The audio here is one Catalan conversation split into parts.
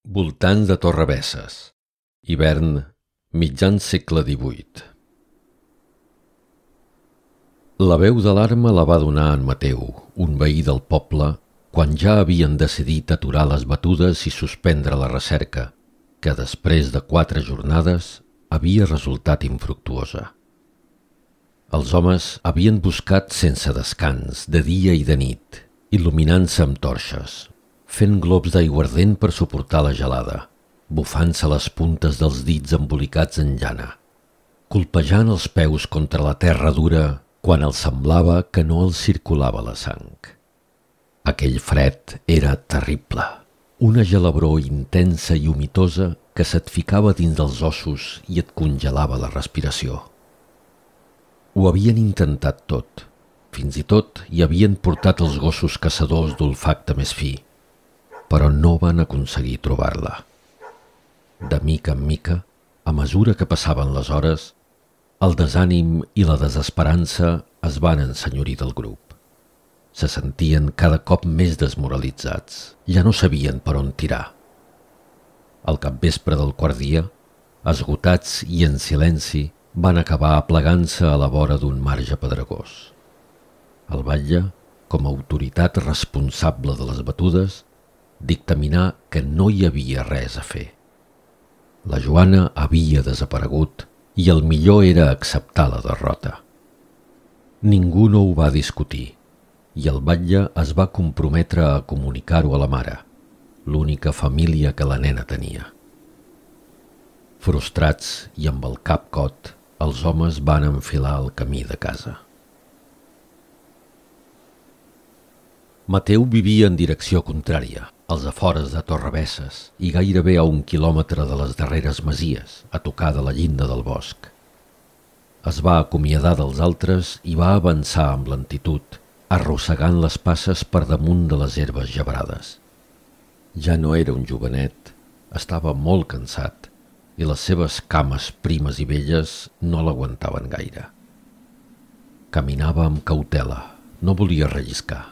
Voltants de Torrebesses. Hivern, mitjan segle XVIII. La veu d'alarma la va donar en Mateu, un veí del poble, quan ja havien decidit aturar les batudes i suspendre la recerca, que després de 4 jornades havia resultat infructuosa. Els homes havien buscat sense descans, de dia i de nit, il·luminant-se amb torxes, fent globs d'aiguardent per suportar la gelada, bufant-se les puntes dels dits embolicats en llana, colpejant els peus contra la terra dura quan els semblava que no els circulava la sang. Aquell fred era terrible, una gelabror intensa i humitosa que se't ficava dins dels ossos i et congelava la respiració. Ho havien intentat tot, fins i tot hi havien portat els gossos caçadors d'olfacte més fi, però no van aconseguir trobar-la. De mica en mica, a mesura que passaven les hores, el desànim i la desesperança es van ensenyorir del grup. Se sentien cada cop més desmoralitzats, ja no sabien per on tirar. Al capvespre del quart dia, esgotats i en silenci, van acabar aplegant-se a la vora d'un marge pedregós. El batlle, com a autoritat responsable de les batudes, dictaminà que no hi havia res a fer. La Joana havia desaparegut i el millor era acceptar la derrota. Ningú no ho va discutir i el batlle es va comprometre a comunicar-ho a la mare, l'única família que la nena tenia. Frustrats i amb el cap cot, els homes van enfilar el camí de casa. Mateu vivia en direcció contrària, als afores de Torrebesses i gairebé a 1 quilòmetre de les darreres masies, a tocar de la llinda del bosc. Es va acomiadar dels altres i va avançar amb lentitud, arrossegant les passes per damunt de les herbes gebrades. Ja no era un jovenet, estava molt cansat i les seves cames primes i velles no l'aguantaven gaire. Caminava amb cautela, no volia relliscar.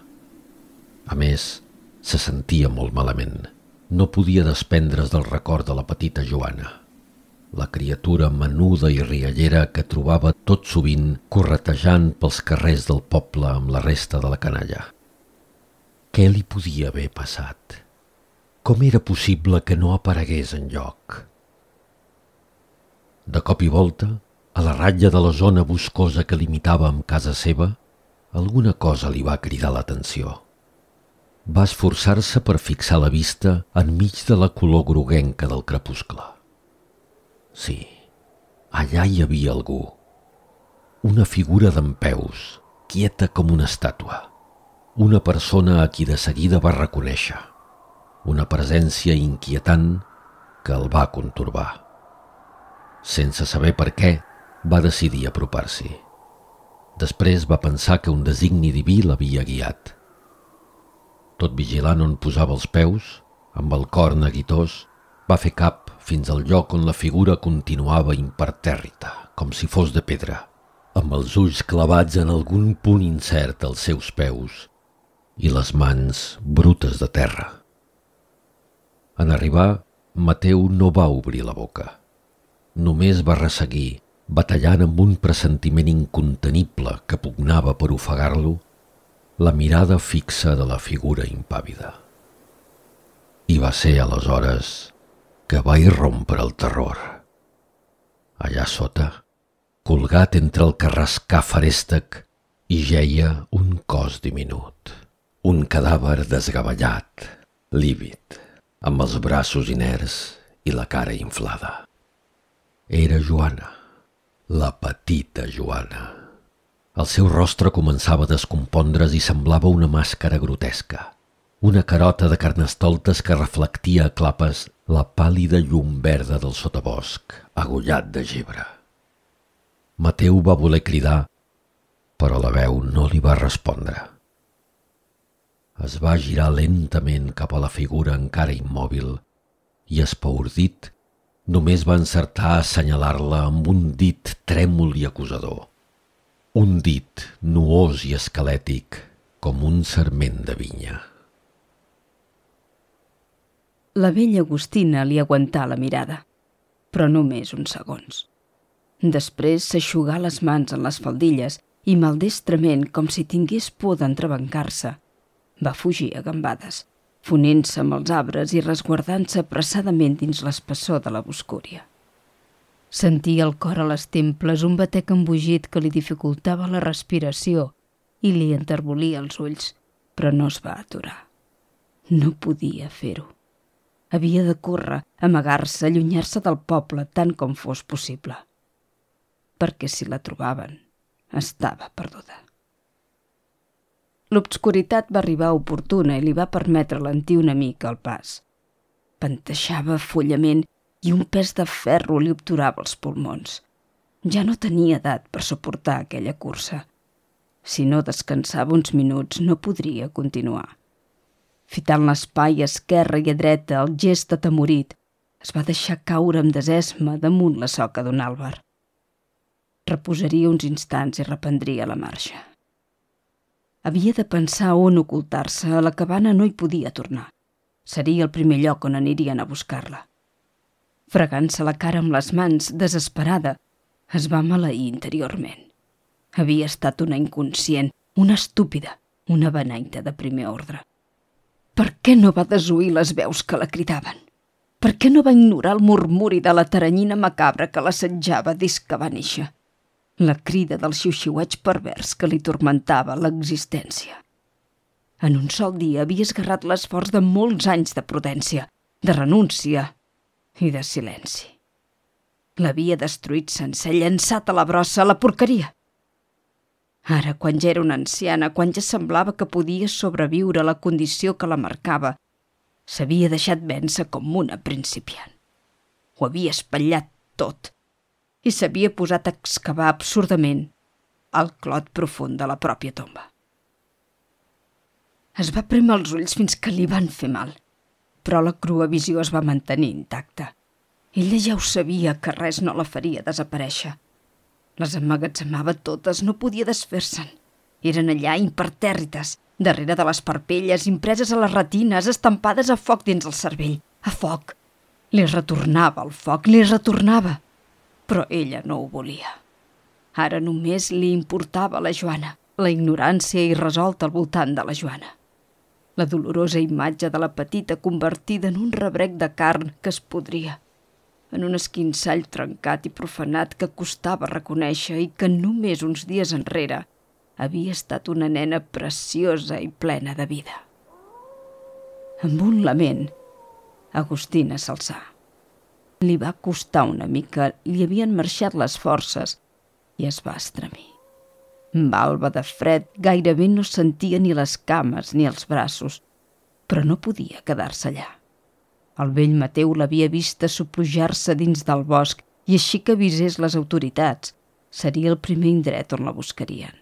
A més, se sentia molt malament. No podia desprendre's del record de la petita Joana, la criatura menuda i riallera que trobava tot sovint corretejant pels carrers del poble amb la resta de la canalla. Què li podia haver passat? Com era possible que no aparegués enlloc? De cop i volta, a la ratlla de la zona boscosa que limitava amb casa seva, alguna cosa li va cridar l'atenció. Va esforçar-se per fixar la vista enmig de la color groguenca del crepuscle. Sí, allà hi havia algú. Una figura dempeus, quieta com una estàtua. Una persona a qui de seguida va reconèixer. Una presència inquietant que el va contorbar. Sense saber per què, va decidir apropar-s'hi. Després va pensar que un designi diví l'havia guiat. Tot vigilant on posava els peus, amb el cor neguitós, va fer cap fins al lloc on la figura continuava impertèrrita, com si fos de pedra, amb els ulls clavats en algun punt incert als seus peus i les mans brutes de terra. En arribar, Mateu no va obrir la boca. Només va resseguir, batallant amb un pressentiment incontenible que pugnava per ofegar-lo, la mirada fixa de la figura impàvida. I va ser aleshores que va irrompre el terror. Allà sota, colgat entre el carrascar ferèstec, hi jeia un cos diminut, un cadàver desgavellat, lívid, amb els braços inerts i la cara inflada. Era Joana, la petita Joana. El seu rostre començava a descompondre's i semblava una màscara grotesca, una carota de carnestoltes que reflectia a clapes la pàl·lida llum verda del sotabosc, agullat de gebre. Mateu va voler cridar, però la veu no li va respondre. Es va girar lentament cap a la figura encara immòbil i, espaordit, només va encertar a assenyalar-la amb un dit trèmol i acusador. Un dit nuós i esquelètic com un sarment de vinya. La vella Agustina li aguantà la mirada, però només uns segons. Després s'aixugà les mans en les faldilles i maldestrament, com si tingués por d'entrebancar-se, va fugir a gambades, fonent-se amb els arbres i resguardant-se apressadament dins l'espessor de la boscúria. Sentia el cor a les temples, un batec embogit que li dificultava la respiració i li enterbolia els ulls, però no es va aturar. No podia fer-ho. Havia de córrer, amagar-se, allunyar-se del poble tant com fos possible. Perquè si la trobaven, estava perduda. L'obscuritat va arribar oportuna i li va permetre lentir una mica el pas. Panteixava follament i un pes de ferro li obturava els pulmons. Ja no tenia edat per suportar aquella cursa. Si no descansava uns minuts, no podria continuar. Fitant l'espai a esquerra i a dreta, el gest atemorit, es va deixar caure amb desesma damunt la soca d'un àlber. Reposaria uns instants i reprendria la marxa. Havia de pensar on ocultar-se, a la cabana no hi podia tornar. Seria el primer lloc on anirien a buscar-la. Fregant-se la cara amb les mans, desesperada, es va maleir interiorment. Havia estat una inconscient, una estúpida, una beneita de primer ordre. Per què no va desoir les veus que la cridaven? Per què no va ignorar el murmuri de la taranyina macabra que l'assetjava des que va néixer? La crida del xiuxiueig pervers que li tormentava l'existència. En un sol dia havia esgarrat l'esforç de molts anys de prudència, de renúncia i de silenci. L'havia destruït sencer, llançat a la brossa, a la porqueria. Ara, quan ja era una anciana, quan ja semblava que podia sobreviure a la condició que la marcava, s'havia deixat vèncer com una principiant. Ho havia espatllat tot i s'havia posat a excavar absurdament el clot profund de la pròpia tomba. Es va prémer els ulls fins que li van fer mal, però la crua visió es va mantenir intacta. Ella ja ho sabia que res no la faria desaparèixer. Les emmagatzemava totes, no podia desfer-se'n. Eren allà impertèrrites, darrere de les parpelles, impreses a les retines, estampades a foc dins el cervell. A foc. Li retornava el foc, li retornava. Però ella no ho volia. Ara només li importava la Joana, la ignorància irresolta al voltant de la Joana. La dolorosa imatge de la petita convertida en un rebrec de carn que es podria, en un esquinçall trencat i profanat que costava reconèixer i que només uns dies enrere havia estat una nena preciosa i plena de vida. Amb un lament, Agustina s'alçà. Li va costar una mica, li havien marxat les forces i es va estremir. Balba de fred, gairebé no sentia ni les cames ni els braços, però no podia quedar-se allà. El vell Mateu l'havia vista soplujar-se dins del bosc i així que avisés les autoritats, seria el primer indret on la buscarien.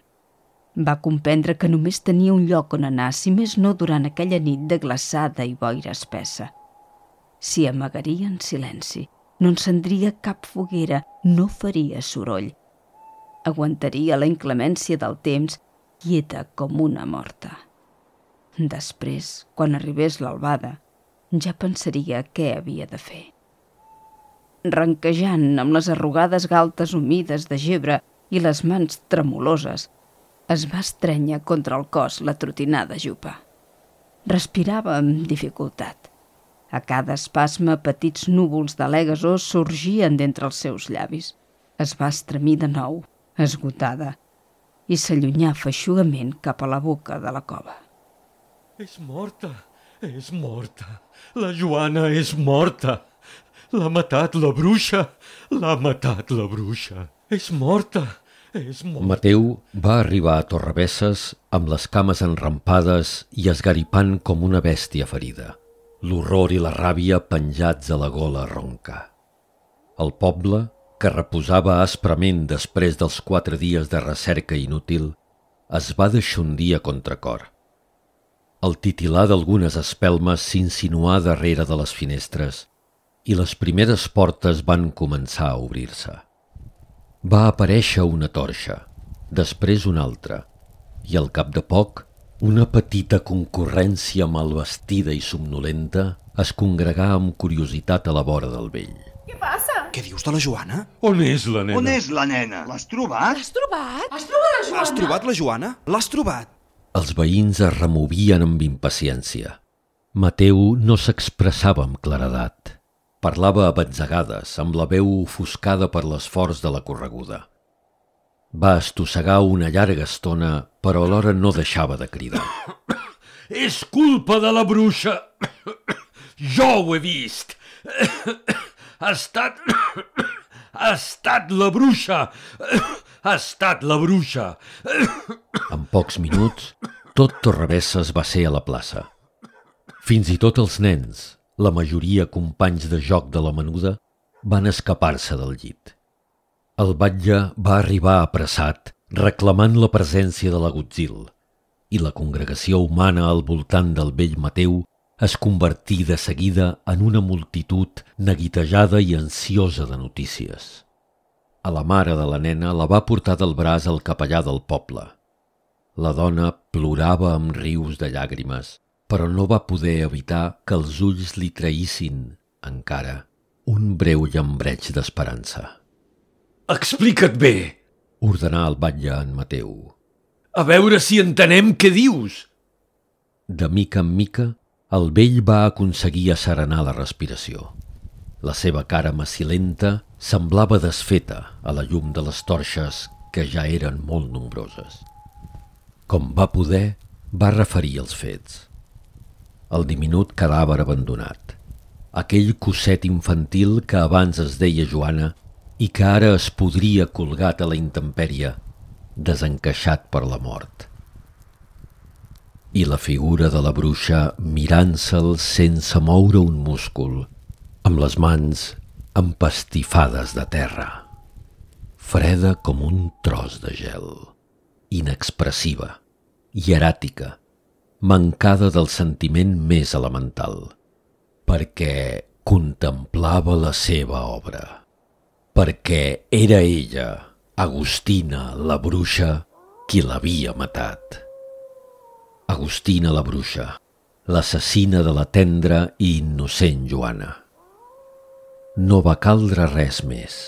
Va comprendre que només tenia un lloc on anar, si més no durant aquella nit de glaçada i boira espessa. S'hi amagaria en silenci, no encendria cap foguera, no faria soroll. Aguantaria la inclemència del temps, quieta com una morta. Després, quan arribés l'albada, ja pensaria què havia de fer. Ranquejant amb les arrugades galtes humides de gebre i les mans tremoloses, es va estrènyer contra el cos la trotinada jupa. Respirava amb dificultat. A cada espasme petits núvols d'alè gasós sorgien d'entre els seus llavis. Es va estremir de nou, esgotada, i s'allunyà feixugament cap a la boca de la cova. És morta, és morta. La Joana és morta. L'ha matat la bruixa, l'ha matat la bruixa. És morta, és morta. Mateu va arribar a Torrebesses amb les cames enrampades i esgaripant com una bèstia ferida. L'horror i la ràbia penjats a la gola ronca. El poble, que reposava asprament després dels 4 dies de recerca inútil, es va deixondir a contracor. El titilar d'algunes espelmes s'insinuà darrere de les finestres i les primeres portes van començar a obrir-se. Va aparèixer una torxa, després una altra, i al cap de poc Una petita concurrència malvestida i somnolenta es congregà amb curiositat a la vora del vell. Què passa? Què dius de la Joana? On és la nena? On és la nena? L'has trobat? L'has trobat? Has trobat la Joana? Has trobat la Joana? L'has trobat? Els veïns es removien amb impaciència. Mateu no s'expressava amb claredat. Parlava a batzegades, amb la veu ofuscada per l'esforç de la correguda. Va estossegar una llarga estona, però alhora no deixava de cridar. És culpa de la bruixa! Jo ho he vist! Ha estat la bruixa! Ha estat la bruixa! En pocs minuts, tot Torrebesses va ser a la plaça. Fins i tot els nens, la majoria companys de joc de la menuda, van escapar-se del llit. El batlle va arribar apressat, reclamant la presència de l'agutzil, i la congregació humana al voltant del vell Mateu es convertí de seguida en una multitud neguitejada i ansiosa de notícies. A la mare de la nena la va portar del braç el capellà del poble. La dona plorava amb rius de llàgrimes, però no va poder evitar que els ulls li traïssin, encara, un breu llambreig d'esperança. Explica't bé, ordenà el batlle en Mateu. A veure si entenem què dius. De mica en mica, el vell va aconseguir asserenar la respiració. La seva cara macilenta semblava desfeta a la llum de les torxes que ja eren molt nombroses. Com va poder, va referir els fets. El diminut cadàver abandonat, aquell cosset infantil que abans es deia Joana i que ara es podria colgat a la intempèrie, desencaixat per la mort. I la figura de la bruixa mirant-se'l sense moure un múscul, amb les mans empastifades de terra, freda com un tros de gel, inexpressiva, hieràtica, mancada del sentiment més elemental, perquè contemplava la seva obra, perquè era ella, Agustina, la bruixa, qui l'havia matat. Agustina la bruixa, l'assassina de la tendra i innocent Joana. No va caldre res més.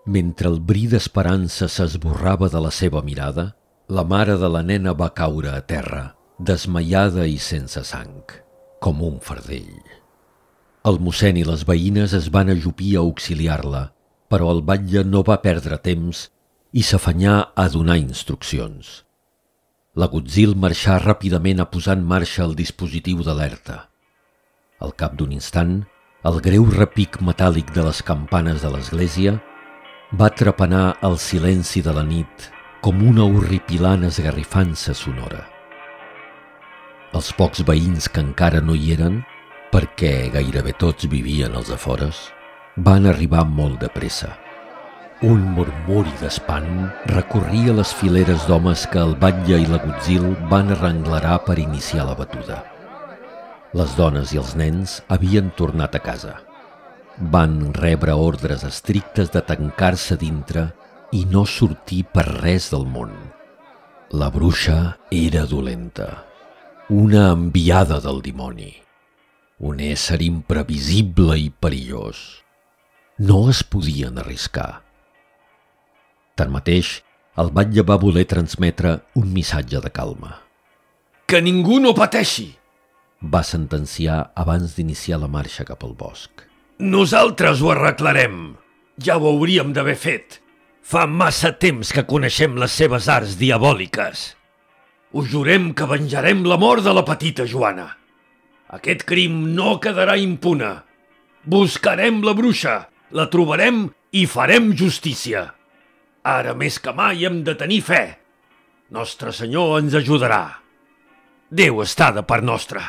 Mentre el bri d'esperança s'esborrava de la seva mirada, la mare de la nena va caure a terra, desmaiada i sense sang, com un fardell. El mossèn i les veïnes es van ajupir a auxiliar-la, però el batlle no va perdre temps i s'afanyà a donar instruccions. L'agutzil marxà ràpidament a posar en marxa el dispositiu d'alerta. Al cap d'un instant, el greu repic metàl·lic de les campanes de l'església va trepanar el silenci de la nit com una horripilant esgarrifança sonora. Els pocs veïns que encara no hi eren, perquè gairebé tots vivien als afores, van arribar molt de pressa. Un murmuri d'espant recorria les fileres d'homes que el batlle i l'agutzil van arrenglerar per iniciar la batuda. Les dones i els nens havien tornat a casa. Van rebre ordres estrictes de tancar-se dintre i no sortir per res del món. La bruixa era dolenta, una enviada del dimoni, un ésser imprevisible i perillós. No es podien arriscar. Tanmateix, el batlle va voler transmetre un missatge de calma. Que ningú no pateixi! Va sentenciar abans d'iniciar la marxa cap al bosc. Nosaltres ho arreglarem. Ja ho hauríem d'haver fet. Fa massa temps que coneixem les seves arts diabòliques. Us jurem que venjarem la mort de la petita Joana. Aquest crim no quedarà impune. Buscarem la bruixa, la trobarem i farem justícia. Ara més que mai hem de tenir fe. Nostre Senyor ens ajudarà. Déu està de part nostra.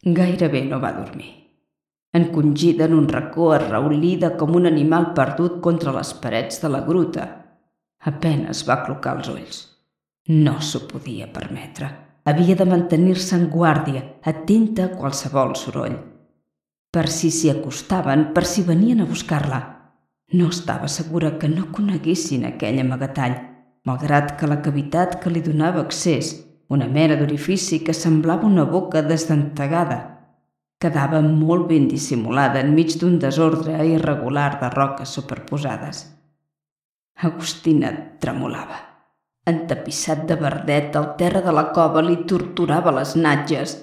Gairebé no va dormir. Encongida en un racó, arraulida com un animal perdut contra les parets de la gruta, apenes va aclucar els ulls. No s'ho podia permetre. Havia de mantenir-se en guàrdia, atenta a qualsevol soroll. Per si s'hi acostaven, per si venien a buscar-la. No estava segura que no coneguessin aquell amagatall, malgrat que la cavitat que li donava accés, una mena d'orifici que semblava una boca desdentegada, quedava molt ben dissimulada enmig d'un desordre irregular de roques superposades. Agustina tremolava. Entapissat de verdet, el terra de la cova li torturava les natges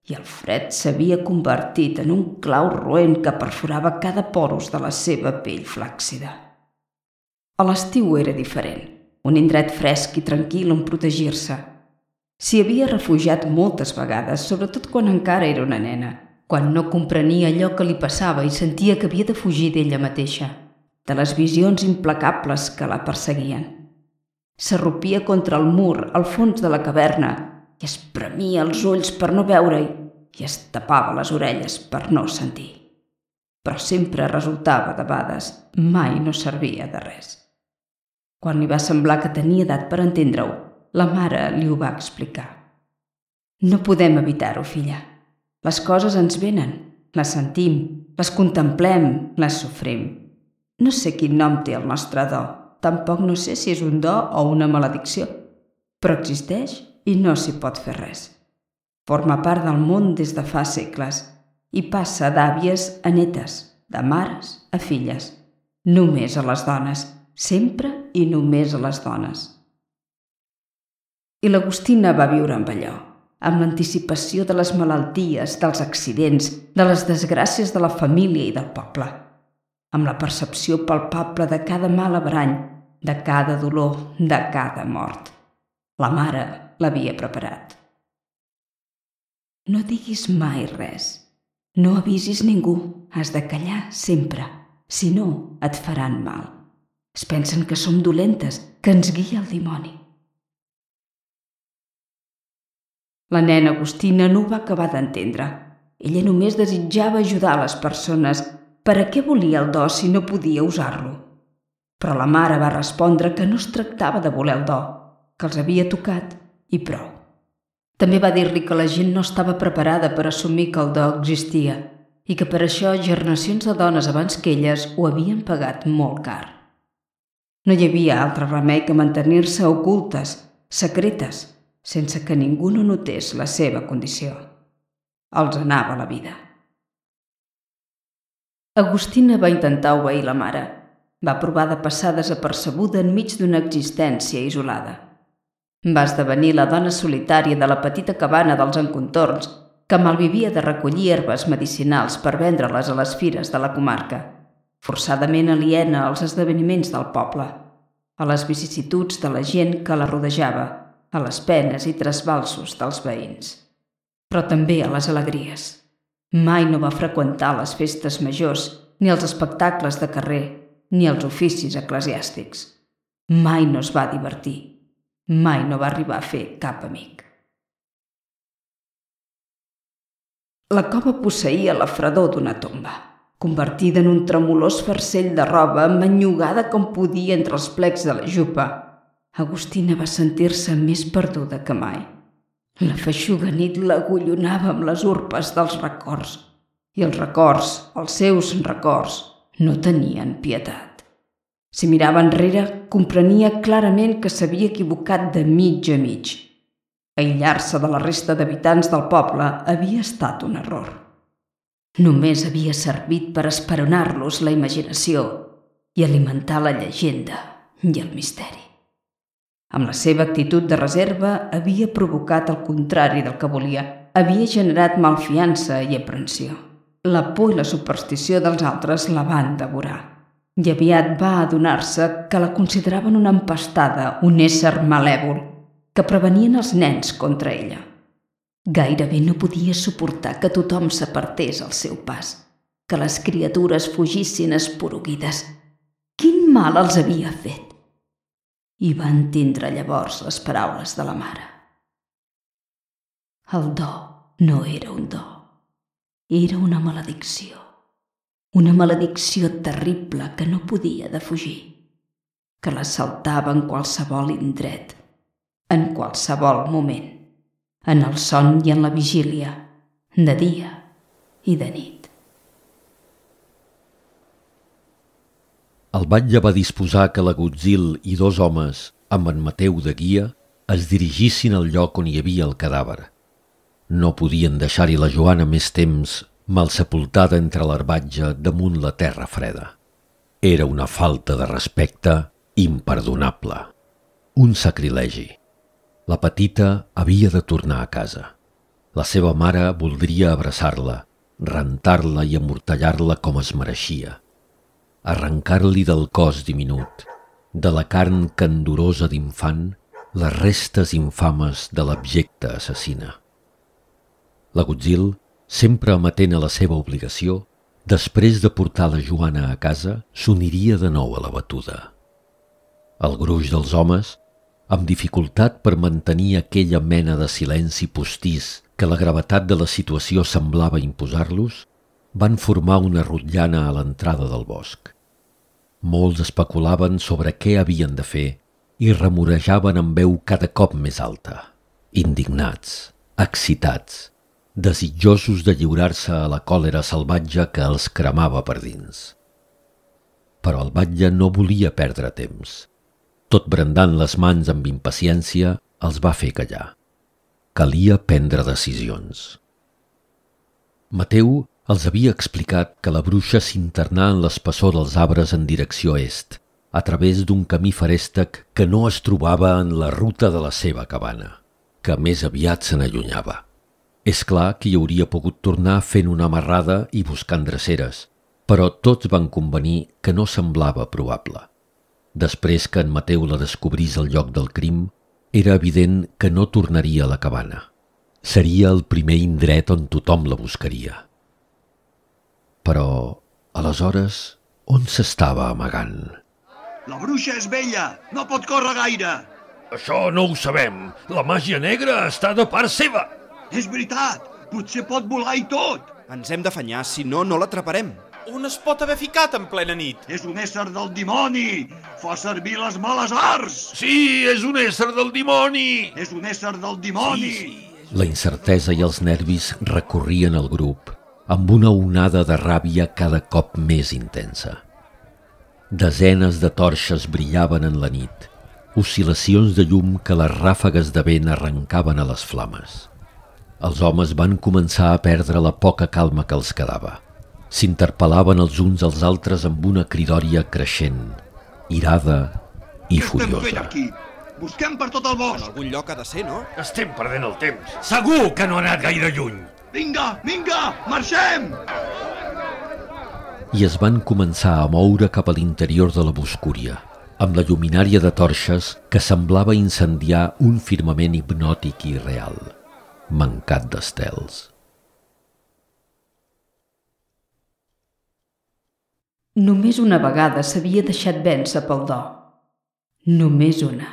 i el fred s'havia convertit en un clau roent que perforava cada porus de la seva pell flàccida. A l'estiu era diferent, un indret fresc i tranquil on protegir-se. S'hi havia refugiat moltes vegades, sobretot quan encara era una nena, quan no comprenia allò que li passava i sentia que havia de fugir d'ella mateixa, de les visions implacables que la perseguien. S'arrupia contra el mur al fons de la caverna i es premia els ulls per no veure-hi i es tapava les orelles per no sentir. Però sempre resultava debades, mai no servia de res. Quan li va semblar que tenia edat per entendre-ho, la mare li ho va explicar. No podem evitar-ho, filla. Les coses ens venen, les sentim, les contemplem, les sofrim. No sé quin nom té el nostre do, tampoc no sé si és un do o una maledicció, però existeix i no s'hi pot fer res. Forma part del món des de fa segles i passa d'àvies a netes, de mares a filles. Només a les dones, sempre i només a les dones. I l'Agustina va viure amb allò, amb l'anticipació de les malalties, dels accidents, de les desgràcies de la família i del poble, amb la percepció palpable de cada mal averany, de cada dolor, de cada mort. La mare l'havia preparat. No diguis mai res. No avisis ningú. Has de callar sempre. Si no, et faran mal. Es pensen que som dolentes, que ens guia el dimoni. La nena Agustina no ho va acabar d'entendre. Ella només desitjava ajudar les persones. Per a què volia el do si no podia usar-lo? Però la mare va respondre que no es tractava de voler el do, que els havia tocat i prou. També va dir-li que la gent no estava preparada per assumir que el do existia i que per això generacions de dones abans que elles ho havien pagat molt car. No hi havia altre remei que mantenir-se ocultes, secretes, sense que ningú no notés la seva condició. Els anava la vida. Agustina va intentar obeir la mare. Va provar de passar desapercebuda enmig d'una existència isolada. Va esdevenir la dona solitària de la petita cabana dels encontorns que malvivia de recollir herbes medicinals per vendre-les a les fires de la comarca, forçadament aliena als esdeveniments del poble, a les vicissituds de la gent que la rodejava, a les penes i trasbalsos dels veïns, però també a les alegries. Mai no va freqüentar les festes majors, ni els espectacles de carrer, ni els oficis eclesiàstics. Mai no es va divertir. Mai no va arribar a fer cap amic. La cova posseïa la fredor d'una tomba, convertida en un tremolós farcell de roba emmanllugada com podia entre els plecs de la jupa. Agustina va sentir-se més perduda que mai. La feixuga nit l'agullonava amb les urpes dels records, i els records, els seus records, no tenien pietat. Si mirava enrere, comprenia clarament que s'havia equivocat de mig a mig. Aïllar-se de la resta d'habitants del poble havia estat un error. Només havia servit per esperonar-los la imaginació i alimentar la llegenda i el misteri. Amb la seva actitud de reserva havia provocat el contrari del que volia. Havia generat malfiança i aprensió. La por i la superstició dels altres la van devorar. I aviat va adonar-se que la consideraven una empastada, un ésser malèvol, que prevenien els nens contra ella. Gairebé no podia suportar que tothom s'apartés al seu pas, que les criatures fugissin esporuguides. Quin mal els havia fet? I va entendre llavors les paraules de la mare. El do no era un do, era una maledicció terrible que no podia defugir, que l'assaltava en qualsevol indret, en qualsevol moment, en el son i en la vigília, de dia i de nit. El batlle va disposar que l'Agutzil i 2 homes amb en Mateu de guia, es dirigissin al lloc on hi havia el cadàver. No podien deixar-hi la Joana més temps mal sepultada entre l'herbatge damunt la terra freda. Era una falta de respecte imperdonable. Un sacrilegi. La petita havia de tornar a casa. La seva mare voldria abraçar-la, rentar-la i amortallar-la com es mereixia. Arrencar-li del cos diminut, de la carn candorosa d'infant, les restes infames de l'abjecta assassina. L'agutzil, sempre amatent a la seva obligació, després de portar la Joana a casa, s'uniria de nou a la batuda. El gruix dels homes, amb dificultat per mantenir aquella mena de silenci postís que la gravetat de la situació semblava imposar-los, van formar una rotllana a l'entrada del bosc. Molts especulaven sobre què havien de fer i remorejaven amb veu cada cop més alta, indignats, excitats, desitjosos de lliurar-se a la còlera salvatge que els cremava per dins. Però el batlle no volia perdre temps. Tot brandant les mans amb impaciència, els va fer callar. Calia prendre decisions. Mateu els havia explicat que la bruixa s'internà en l'espessor dels arbres en direcció est, a través d'un camí feréstec que no es trobava en la ruta de la seva cabana, que més aviat se n'allunyava. És clar que hi hauria pogut tornar fent una amarrada i buscant dreceres, però tots van convenir que no semblava probable. Després que en Mateu la descobrís al lloc del crim, era evident que no tornaria a la cabana. Seria el primer indret on tothom la buscaria. Però, aleshores, on s'estava amagant? La bruixa és vella, no pot córrer gaire. Això no ho sabem. La màgia negra està de part seva. És veritat, potser pot volar i tot. Ens hem d'afanyar, si no, no l'atraparem. On es pot haver ficat en plena nit? És un ésser del dimoni. Fa servir les males arts. Sí, és un ésser del dimoni. És un ésser del dimoni. La incertesa i els nervis recorrien el grup, amb una onada de ràbia cada cop més intensa. Desenes de torxes brillaven en la nit, oscil·lacions de llum que les ràfegues de vent arrencaven a les flames. Els homes van començar a perdre la poca calma que els quedava. S'interpel·laven els uns als altres amb una cridòria creixent, irada i Què estem fent furiosa. aquí? Busquem per tot el En bosc. algun lloc ha de ser, no? Estem perdent el temps. Segur que no ha anat gaire lluny. Vinga, vinga, marxem! I es van començar a moure cap a l'interior de la boscúria, amb la lluminària de torxes que semblava incendiar un firmament hipnòtic i real, mancat d'estels. Només una vegada s'havia deixat vèncer pel do. Només una.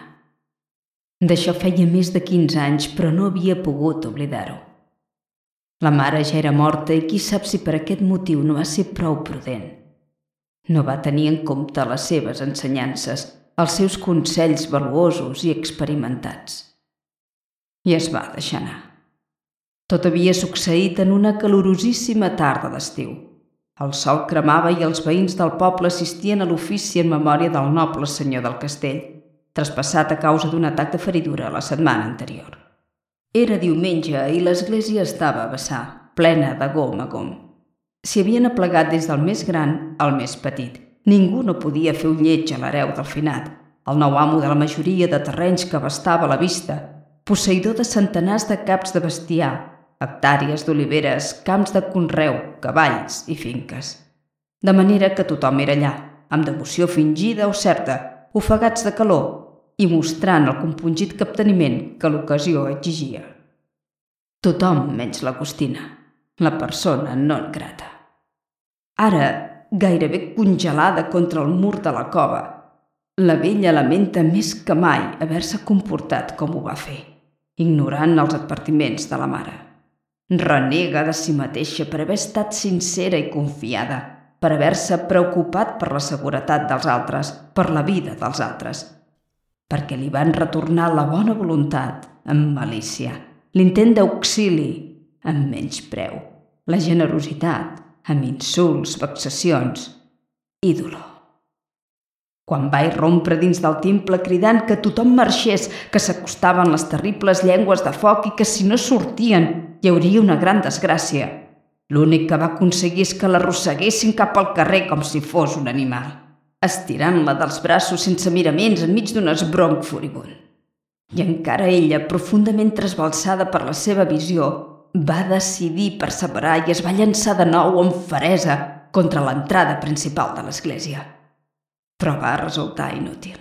D'això feia més de 15 anys, però no havia pogut oblidar-ho. La mare ja era morta i qui sap si per aquest motiu no va ser prou prudent. No va tenir en compte les seves ensenyances, els seus consells valuosos i experimentats. I es va deixar anar. Tot havia succeït en una calorosíssima tarda d'estiu. El sol cremava i els veïns del poble assistien a l'ofici en memòria del noble senyor del castell, traspassat a causa d'un atac de feridura la setmana anterior. Era diumenge i l'església estava a vessar, plena de gom a gom. S'hi havien aplegat des del més gran al més petit. Ningú no podia fer un lleig a l'hereu del finat, el nou amo de la majoria de terrenys que abastava la vista, posseïdor de centenars de caps de bestiar, hectàrees d'oliveres, camps de conreu, cavalls i finques. De manera que tothom era allà, amb devoció fingida o certa, ofegats de calor i mostrant el compungit capteniment que l'ocasió exigia. Tothom menys l'Agustina, la persona non grata. Ara, gairebé congelada contra el mur de la cova, la vella lamenta més que mai haver-se comportat com ho va fer, ignorant els advertiments de la mare. Renega de si mateixa per haver estat sincera i confiada, per haver-se preocupat per la seguretat dels altres, per la vida dels altres, perquè li van retornar la bona voluntat amb malícia, l'intent d'auxili amb menyspreu, la generositat amb insults, vexacions i dolor. Quan va irrompre dins del temple cridant que tothom marxés, que s'acostaven les terribles llengües de foc i que si no sortien hi hauria una gran desgràcia. L'únic que va aconseguir és que l'arrosseguessin cap al carrer com si fos un animal, estirant-la dels braços sense miraments enmig d'un esbronc furibund. I encara ella, profundament trasbalsada per la seva visió, va decidir perseverar i es va llançar de nou amb feresa contra l'entrada principal de l'església. Però va resultar inútil.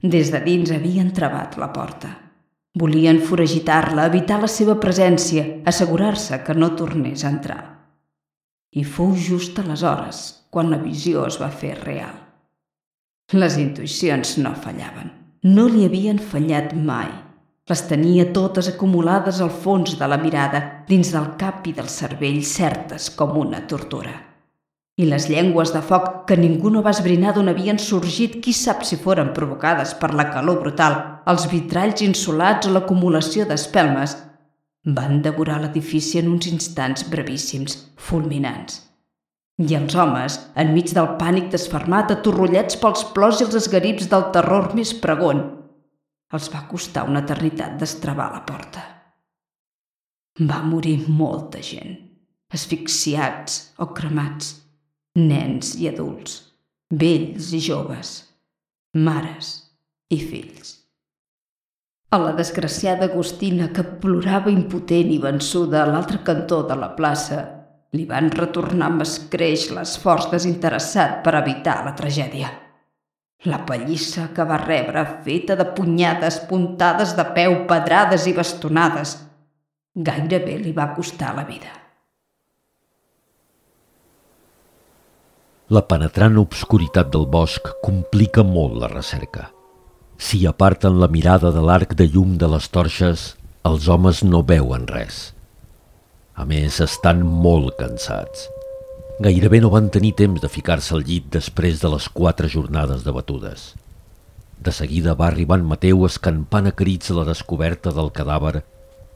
Des de dins havien travat la porta. Volien foragitar-la, evitar la seva presència, assegurar-se que no tornés a entrar. I fou just aleshores quan la visió es va fer real. Les intuïcions no fallaven. No li havien fallat mai. Les tenia totes acumulades al fons de la mirada, dins del cap i del cervell, certes com una tortura. I les llengües de foc que ningú no va esbrinar d'on havien sorgit, qui sap si foren provocades per la calor brutal, els vitralls insolats o l'acumulació d'espelmes, van devorar l'edifici en uns instants brevíssims, fulminants. I els homes, enmig del pànic desfermat, atorrollats pels plors i els esgarips del terror més pregon, els va costar una eternitat destravar la porta. Va morir molta gent, asfixiats o cremats, nens i adults, vells i joves, mares i fills. A la desgraciada Agustina, que plorava impotent i vençuda a l'altre cantó de la plaça, li van retornar amb escreix l'esforç desinteressat per evitar la tragèdia. La pallissa que va rebre, feta de punyades, puntades de peu, pedrades i bastonades, gairebé li va costar la vida. La penetrant obscuritat del bosc complica molt la recerca. Si aparten la mirada de l'arc de llum de les torxes, els homes no veuen res. A més, estan molt cansats. Gairebé no van tenir temps de ficar-se al llit després de les 4 jornades de batudes. De seguida va arribar en Mateu escampant a crits la descoberta del cadàver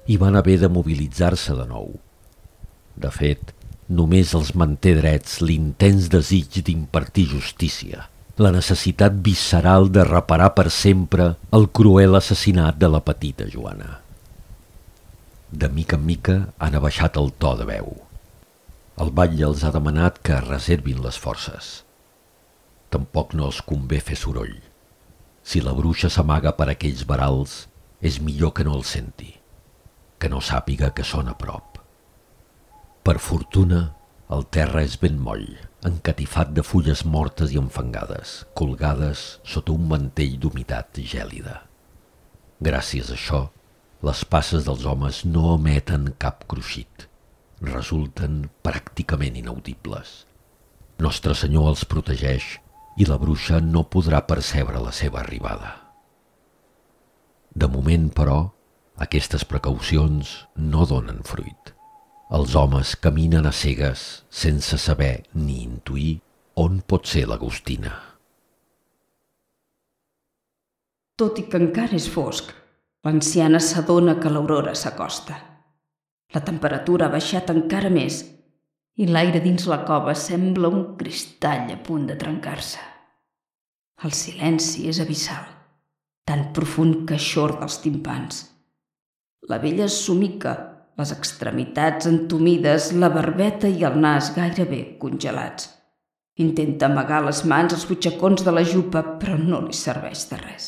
i van haver de mobilitzar-se de nou. De fet, només els manté drets l'intens desig d'impartir justícia, la necessitat visceral de reparar per sempre el cruel assassinat de la petita Joana. De mica en mica han abaixat el to de veu. El batlle els ha demanat que reservin les forces. Tampoc no els convé fer soroll. Si la bruixa s'amaga per aquells verals, és millor que no el senti, que no sàpiga que són a prop. Per fortuna, el terra és ben moll, encatifat de fulles mortes i enfangades, colgades sota un mantell d'humitat gèlida. Gràcies a això, les passes dels homes no emeten cap cruixit. Resulten pràcticament inaudibles. Nostre Senyor els protegeix i la bruixa no podrà percebre la seva arribada. De moment, però, aquestes precaucions no donen fruit. Els homes caminen a cegues sense saber ni intuir on pot ser l'Agustina. Tot i que encara és fosc, l'anciana s'adona que l'aurora s'acosta. La temperatura ha baixat encara més i l'aire dins la cova sembla un cristall a punt de trencar-se. El silenci és abissal, tan profund que eixorda els timpans. La vella somica, les extremitats entumides, la barbeta i el nas gairebé congelats. Intenta amagar les mans als butxacons de la jupa, però no li serveix de res.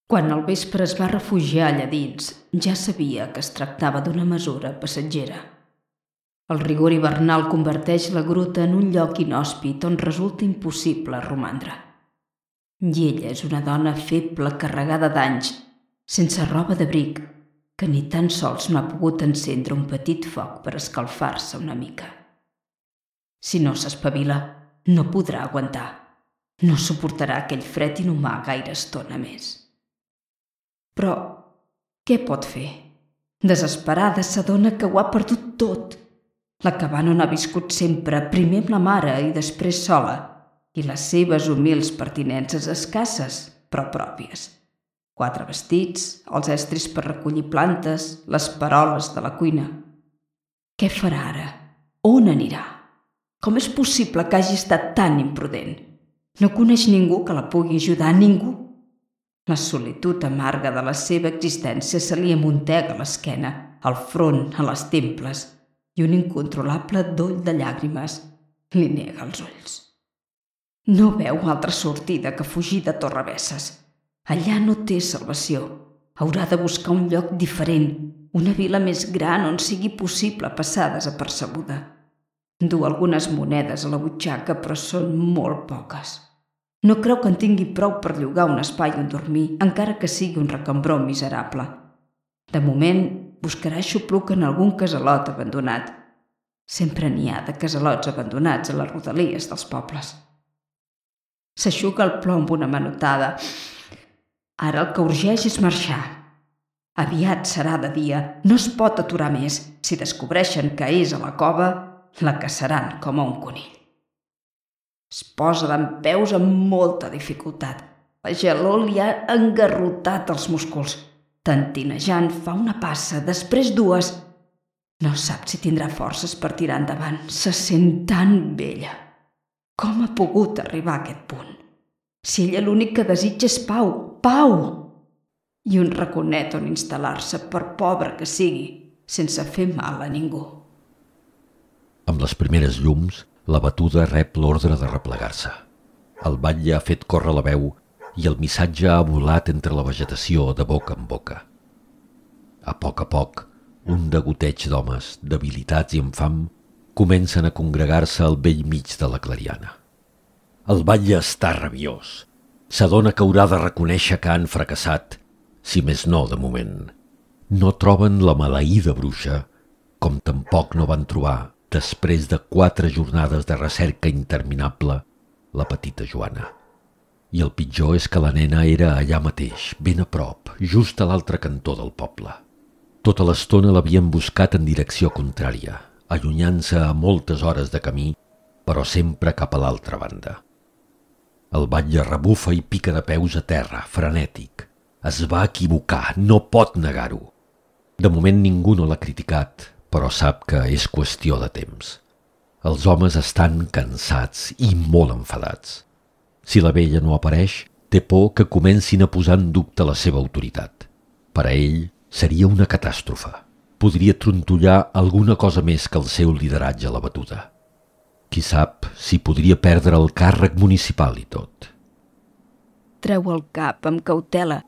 Quan al vespre es va refugiar allà dins, ja sabia que es tractava d'una mesura passatgera. El rigor hivernal converteix la gruta en un lloc inhòspit on resulta impossible romandre. I ella és una dona feble, carregada d'anys, sense roba d'abric, que ni tan sols no ha pogut encendre un petit foc per escalfar-se una mica. Si no s'espavila, no podrà aguantar. No suportarà aquell fred inhumà gaire estona més. Però què pot fer? Desesperada, s'adona que ho ha perdut tot. La cabana on ha viscut sempre, primer amb la mare i després sola, i les seves humils pertinences escasses, però pròpies. 4 vestits, els estris per recollir plantes, les peroles de la cuina. Què farà ara? On anirà? Com és possible que hagi estat tan imprudent? No coneix ningú que la pugui ajudar, ningú. La solitud amarga de la seva existència se li amuntega a l'esquena, al front, a les temples, i un incontrolable doll de llàgrimes li nega els ulls. No veu altra sortida que fugir de Torrebesses. Allà no té salvació. Haurà de buscar un lloc diferent, una vila més gran on sigui possible passar desapercebuda. Du algunes monedes a la butxaca, però són molt poques. No creu que en tingui prou per llogar un espai on dormir, encara que sigui un recambró miserable. De moment, buscarà xupluc en algun casalot abandonat. Sempre n'hi ha de casalots abandonats a les rodalies dels pobles. S'eixuga el plom amb una manotada. Ara el que urgeix és marxar. Aviat serà de dia, no es pot aturar més. Si descobreixen que és a la cova, la caçaran com a un conill. Es posa dempeus amb molta dificultat. La gelor li ha engarrotat els músculs. Tentinejant fa una passa, després dues. No sap si tindrà forces per tirar endavant. Se sent tan vella. Com ha pogut arribar a aquest punt? Si ella l'únic que desitja és pau, pau! I un raconet on instal·lar-se, per pobre que sigui, sense fer mal a ningú. Amb les primeres llums, la batuda rep l'ordre de replegar-se. El batlle ha fet córrer la veu i el missatge ha volat entre la vegetació de boca en boca. A poc, un degoteig d'homes, debilitats i amb fam, comencen a congregar-se al bell mig de la clariana. El batlle està rabiós. S'adona que haurà de reconèixer que han fracassat, si més no de moment. No troben la maleïda bruixa, com tampoc no van trobar, després de 4 jornades de recerca interminable, la petita Joana. I el pitjor és que la nena era allà mateix, ben a prop, just a l'altre cantó del poble. Tota l'estona l'havien buscat en direcció contrària, allunyant-se a moltes hores de camí, però sempre cap a l'altra banda. El batlle rebufa i pica de peus a terra, frenètic. Es va equivocar, no pot negar-ho. De moment ningú no l'ha criticat, però sap que és qüestió de temps. Els homes estan cansats i molt enfadats. Si la vella no apareix, té por que comencin a posar en dubte la seva autoritat. Per a ell seria una catàstrofe. Podria trontollar alguna cosa més que el seu lideratge a la batuda. Qui sap si podria perdre el càrrec municipal i tot. Treu el cap amb cautela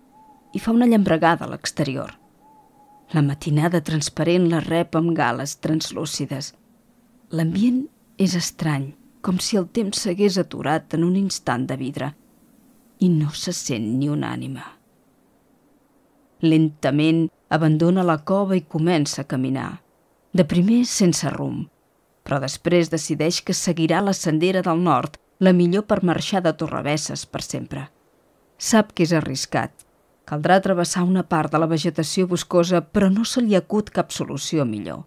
i fa una llambregada a l'exterior. La matinada transparent la rep amb gales translúcides. L'ambient és estrany, com si el temps s'hagués aturat en un instant de vidre, i no se sent ni una ànima. Lentament abandona la cova i comença a caminar, de primer sense rumb, però després decideix que seguirà la sendera del nord, la millor per marxar de Torrebesses per sempre. Sap que és arriscat. Caldrà travessar una part de la vegetació boscosa, però no se li acut cap solució millor.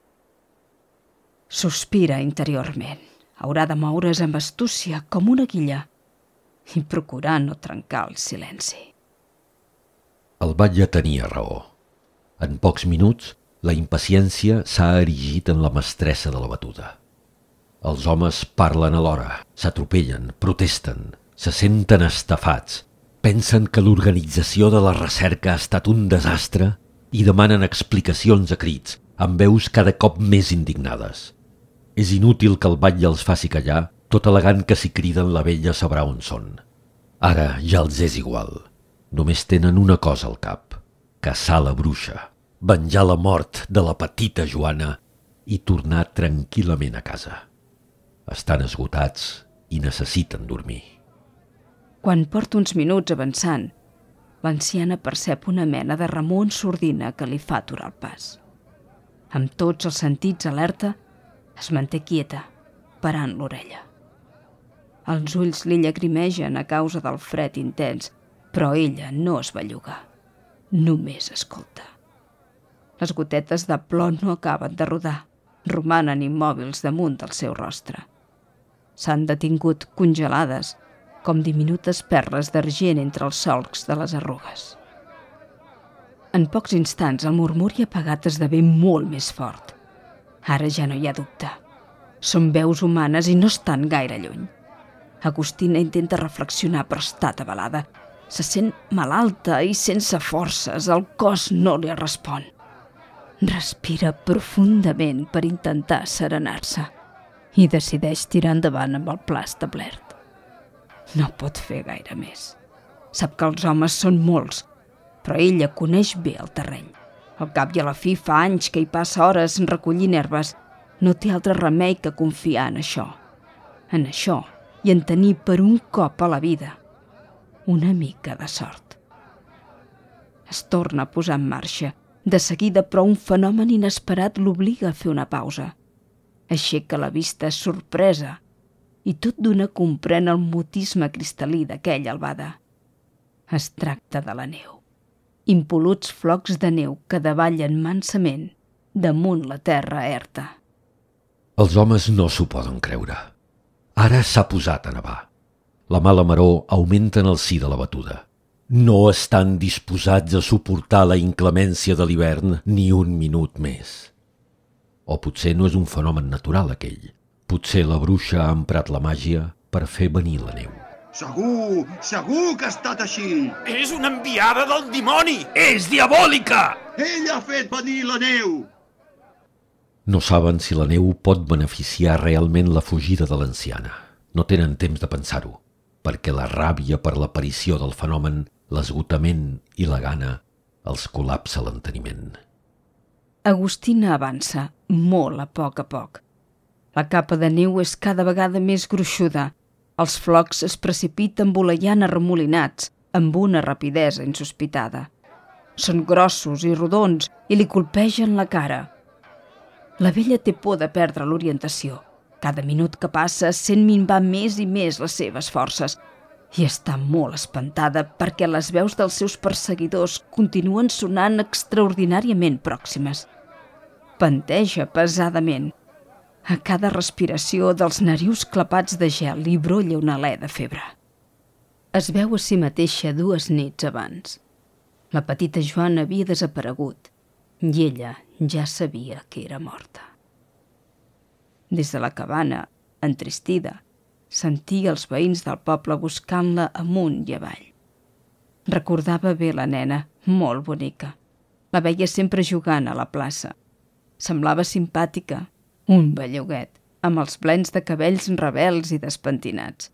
Sospira interiorment. Haurà de moure's amb astúcia, com una guilla, i procurar no trencar el silenci. El batlle tenia raó. En pocs minuts, la impaciència s'ha erigit en la mestressa de la batuda. Els homes parlen alhora, s'atropellen, protesten, se senten estafats, pensen que l'organització de la recerca ha estat un desastre i demanen explicacions a crits, amb veus cada cop més indignades. És inútil que el batlle els faci callar, tot al·legant que si criden la vella sabrà on són. Ara ja els és igual. Només tenen una cosa al cap: caçar la bruixa, venjar la mort de la petita Joana i tornar tranquil·lament a casa. Estan esgotats i necessiten dormir. Quan porta uns minuts avançant, l'anciana percep una mena de remor en sordina que li fa aturar el pas. Amb tots els sentits alerta, es manté quieta, parant l'orella. Els ulls li llagrimegen a causa del fred intens, però ella no es belluga. Només escolta. Les gotetes de plom no acaben de rodar, romanen immòbils damunt del seu rostre. S'han detingut congelades, com diminutes perles d'argent entre els solcs de les arrugues. En pocs instants el murmuri apagat esdevé molt més fort. Ara ja no hi ha dubte. Són veus humanes i no estan gaire lluny. Agustina intenta reflexionar, però està atabalada. Se sent malalta i sense forces, el cos no li respon. Respira profundament per intentar serenar-se i decideix tirar endavant amb el pla establert. No pot fer gaire més. Sap que els homes són molts, però ella coneix bé el terreny. Al cap i a la fi fa anys que hi passa hores recollint herbes. No té altre remei que confiar en això. En això i en tenir per un cop a la vida una mica de sort. Es torna a posar en marxa. De seguida, però, un fenomen inesperat l'obliga a fer una pausa. Aixeca la vista sorpresa i tot d'una comprèn el mutisme cristal·lí d'aquella albada. Es tracta de la neu. Impoluts flocs de neu que davallen mansament damunt la terra erta. Els homes no s'ho poden creure. Ara s'ha posat a nevar. La mala maror augmenta en el si de la batuda. No estan disposats a suportar la inclemència de l'hivern ni un minut més. O potser no és un fenomen natural aquell. Potser la bruixa ha emprat la màgia per fer venir la neu. Segur que ha estat així. És una enviada del dimoni! És diabòlica! Ell ha fet venir la neu. No saben si la neu pot beneficiar realment la fugida de l'anciana. No tenen temps de pensar-ho, perquè la ràbia per l'aparició del fenomen, l'esgotament i la gana els col·lapsa l'enteniment. Agustina avança, molt a poc. La capa de neu és cada vegada més gruixuda. Els flocs es precipiten voleiant arremolinats, amb una rapidesa insospitada. Són grossos i rodons i li colpegen la cara. La vella té por de perdre l'orientació. Cada minut que passa sent minvar més i més les seves forces i està molt espantada perquè les veus dels seus perseguidors continuen sonant extraordinàriament pròximes. Panteja pesadament. A cada respiració dels narius clapats de gel li brolla un alè de febre. Es veu a si mateixa 2 nits abans. La petita Joana havia desaparegut i ella ja sabia que era morta. Des de la cabana, entristida, sentia els veïns del poble buscant-la amunt i avall. Recordava bé la nena, molt bonica. La veia sempre jugant a la plaça. Semblava simpàtica, un belluguet, amb els plens de cabells rebels i despentinats.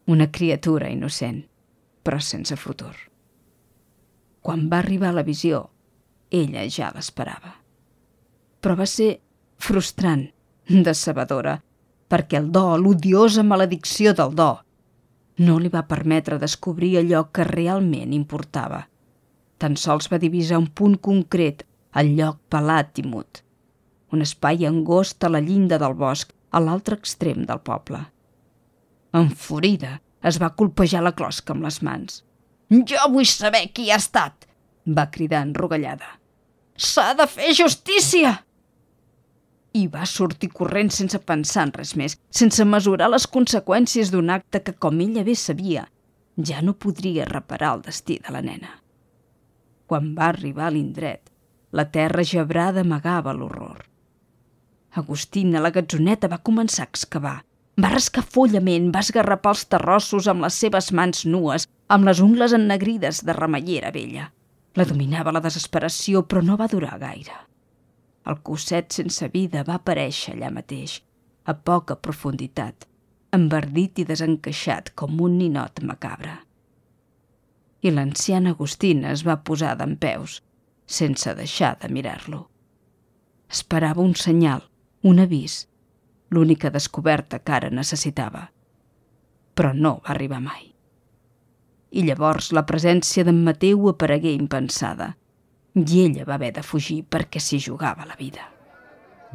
Una criatura innocent, però sense futur. Quan va arribar la visió, ella ja l'esperava. Però va ser frustrant, decebedora, perquè el do, l'odiosa maledicció del do, no li va permetre descobrir allò que realment importava. Tan sols va divisar un punt concret, el lloc pelat i mut. Un espai angost a la llinda del bosc, a l'altre extrem del poble. Enfurida, es va colpejar la closca amb les mans. «Jo vull saber qui ha estat!» va cridar enrogallada. «S'ha de fer justícia!» I va sortir corrent sense pensar en res més, sense mesurar les conseqüències d'un acte que, com ella bé sabia, ja no podria reparar el destí de la nena. Quan va arribar a l'indret, la terra gebrada amagava l'horror. Agustina, la gatzoneta, va començar a excavar. Va rascar follament, va esgarrapar els terrossos amb les seves mans nues, amb les ungles ennegrides de remeiera vella. La dominava la desesperació, però no va durar gaire. El cosset sense vida va aparèixer allà mateix, a poca profunditat, enverdit i desencaixat com un ninot macabre. I l'anciana Agustina es va posar dempeus, sense deixar de mirar-lo. Esperava un senyal, un avís, l'única descoberta que ara necessitava. Però no va arribar mai. I llavors la presència d'en Mateu aparegué impensada, i ella va haver de fugir perquè s'hi jugava la vida.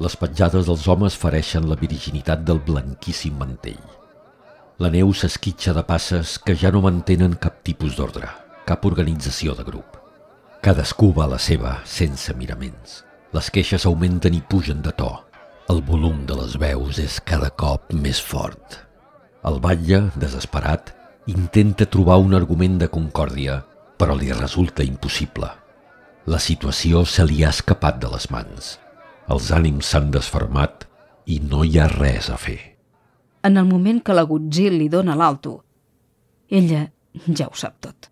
Les petjades dels homes fereixen la virginitat del blanquíssim mantell. La neu s'esquitxa de passes que ja no mantenen cap tipus d'ordre, cap organització de grup. Cadascú va a la seva, sense miraments. Les queixes augmenten i pugen de to. El volum de les veus és cada cop més fort. El batlle, desesperat, intenta trobar un argument de concòrdia, però li resulta impossible. La situació se li ha escapat de les mans. Els ànims s'han desfermat i no hi ha res a fer. en el moment que l'Agutzil li dona l'alto. Ella ja ho sap tot.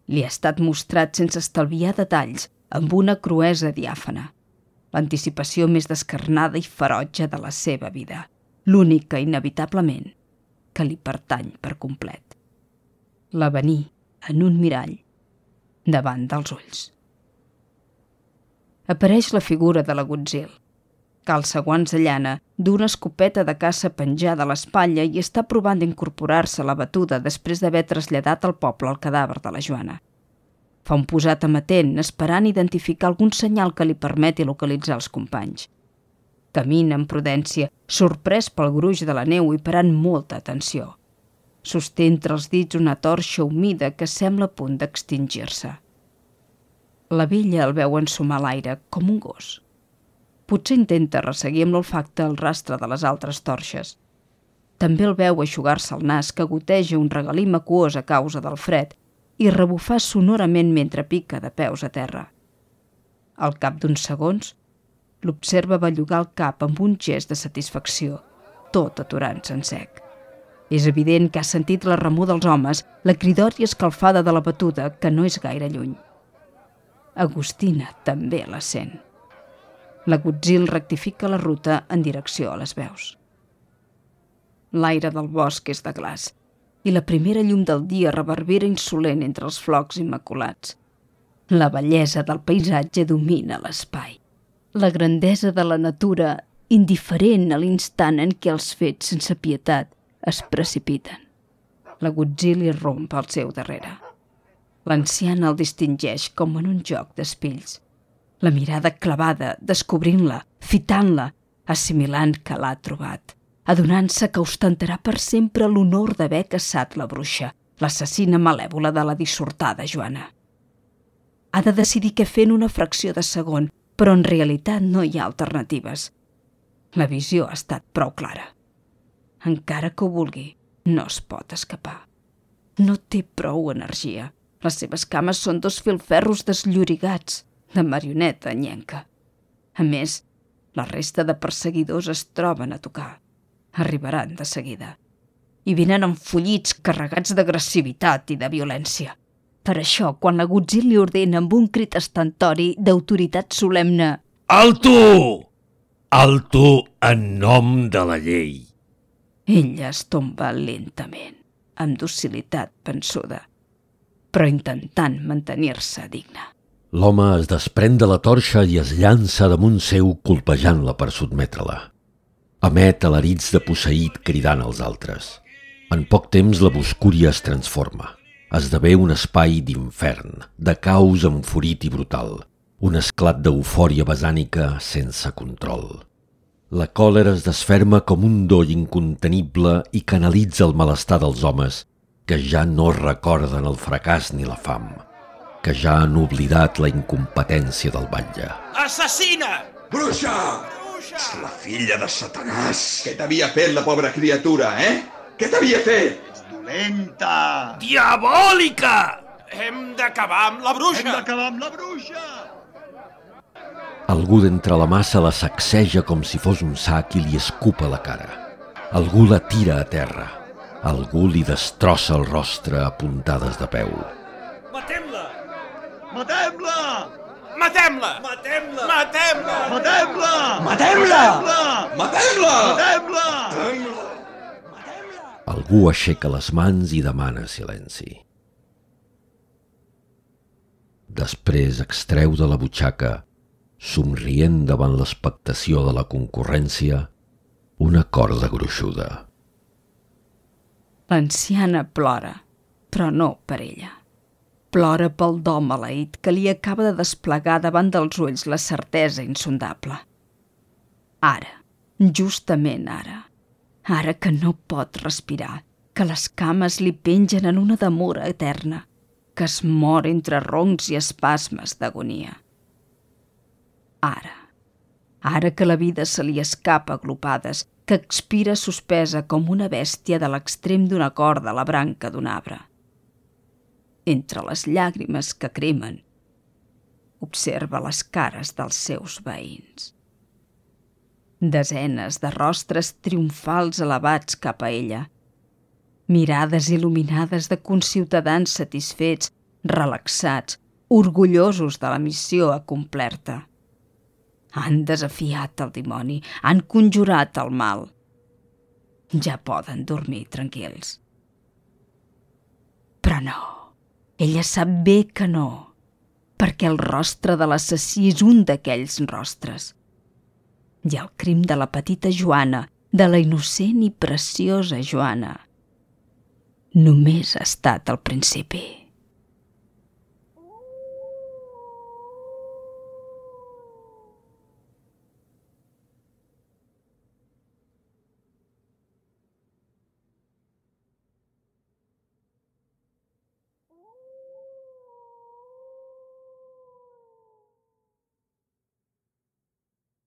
Li ha estat mostrat sense estalviar detalls, amb una cruesa diàfana. L'anticipació més descarnada i ferotge de la seva vida, l'única, inevitablement, que li pertany per complet. L'avenir en un mirall davant dels ulls. Apareix la figura de l'Agutzil. Calça guants de llana, d'una escopeta de caça penjada a l'espatlla i està provant d'incorporar-se a la batuda després d'haver traslladat al poble el cadàver de la Joana. Fa un posat amatent, esperant identificar algun senyal que li permeti localitzar els companys. Camina amb prudència, sorprès pel gruix de la neu i parant molta atenció. Sosté entre els dits una torxa humida que sembla a punt d'extingir-se. La vella el veu ensumar l'aire com un gos. Potser intenta resseguir amb l'olfacte el rastre de les altres torxes. També el veu eixugar-se el nas que goteja un regalim aquós a causa del fred i rebufar sonorament mentre pica de peus a terra. Al cap d'uns segons, l'observa bellugar el cap amb un gest de satisfacció, tot aturant-se en sec. És evident que ha sentit la remor dels homes, la cridòria escalfada de la batuda, que no és gaire lluny. Agustina també la sent. L'Agutzil rectifica la ruta en direcció a les veus. L'aire del bosc és de glaç i la primera llum del dia reverbera insolent entre els flocs immaculats. La bellesa del paisatge domina l'espai. La grandesa de la natura, indiferent a l'instant en què els fets sense pietat es precipiten. L'Agutzil irromp al seu darrere. L'anciana el distingeix com en un joc d'espills. La mirada clavada, descobrint-la, fitant-la, assimilant que l'ha trobat, adonant-se que ostentarà per sempre l'honor d'haver caçat la bruixa, l'assassina malèvola de la dissortada Joana. Ha de decidir què fer en una fracció de segon, però en realitat no hi ha alternatives. La visió ha estat prou clara. Encara que ho vulgui, no es pot escapar. No té prou energia. Les seves cames són dos filferros desllorigats, de marioneta anyenca. A més, la resta de perseguidors es troben a tocar. Arribaran de seguida. I vinen enfollits, carregats d'agressivitat i de violència. Per això, quan l'Agutzil li ordena amb un crit estentori d'autoritat solemne Alto! Alto en nom de la llei. Ella es tomba lentament, amb docilitat pensuda, però intentant mantenir-se digna. L'home es desprèn de la torxa i es llança damunt seu colpejant-la per sotmetre-la. Emet alarits de posseït cridant als altres. En poc temps la boscúria es transforma. Esdevé un espai d'infern, de caos enfurit i brutal. Un esclat d'eufòria basànica sense control. La còlera es desferma com un doll incontenible i canalitza el malestar dels homes que ja no recorden el fracàs ni la fam, que ja han oblidat la incompetència del batlle. Assassina! Bruixa! És la filla de Satanàs! Què t'havia fet la pobra criatura, Què t'havia fet? És dolenta! Diabòlica! Hem d'acabar amb la bruixa! Hem d'acabar amb la bruixa! Algú d'entre la massa la sacseja com si fos un sac i li escupa la cara. Algú la tira a terra. Algú li destrossa el rostre a puntades de peu. Matem-la! Matem-la! Matem-la! Matem-la! Matem-la! Matem-la! Matem-la! Matem-la! Matem-la! Algú aixeca les mans i demana silenci. Després extreu de la butxaca, somrient davant l'expectació de la concurrència, una corda gruixuda. L'anciana plora, però no per ella. Plora pel do maleït que li acaba de desplegar davant dels ulls la certesa insondable. Ara, justament ara que no pot respirar, que les cames li pengen en una demora eterna, que es mor entre roncs i espasmes d'agonia. Ara que la vida se li escapa a glopades, que expira suspesa com una bèstia de l'extrem d'una corda a la branca d'un arbre. Entre les llàgrimes que cremen, observa les cares dels seus veïns. Desenes de rostres triomfals elevats cap a ella. Mirades il·luminades de conciutadans satisfets, relaxats, orgullosos de la missió acomplerta. Han desafiat el dimoni, han conjurat el mal. Ja poden dormir tranquils. Però no, ella sap bé que no, perquè el rostre de l'assassí és un d'aquells rostres. I el crim de la petita Joana, de la innocent i preciosa Joana, només ha estat al principi.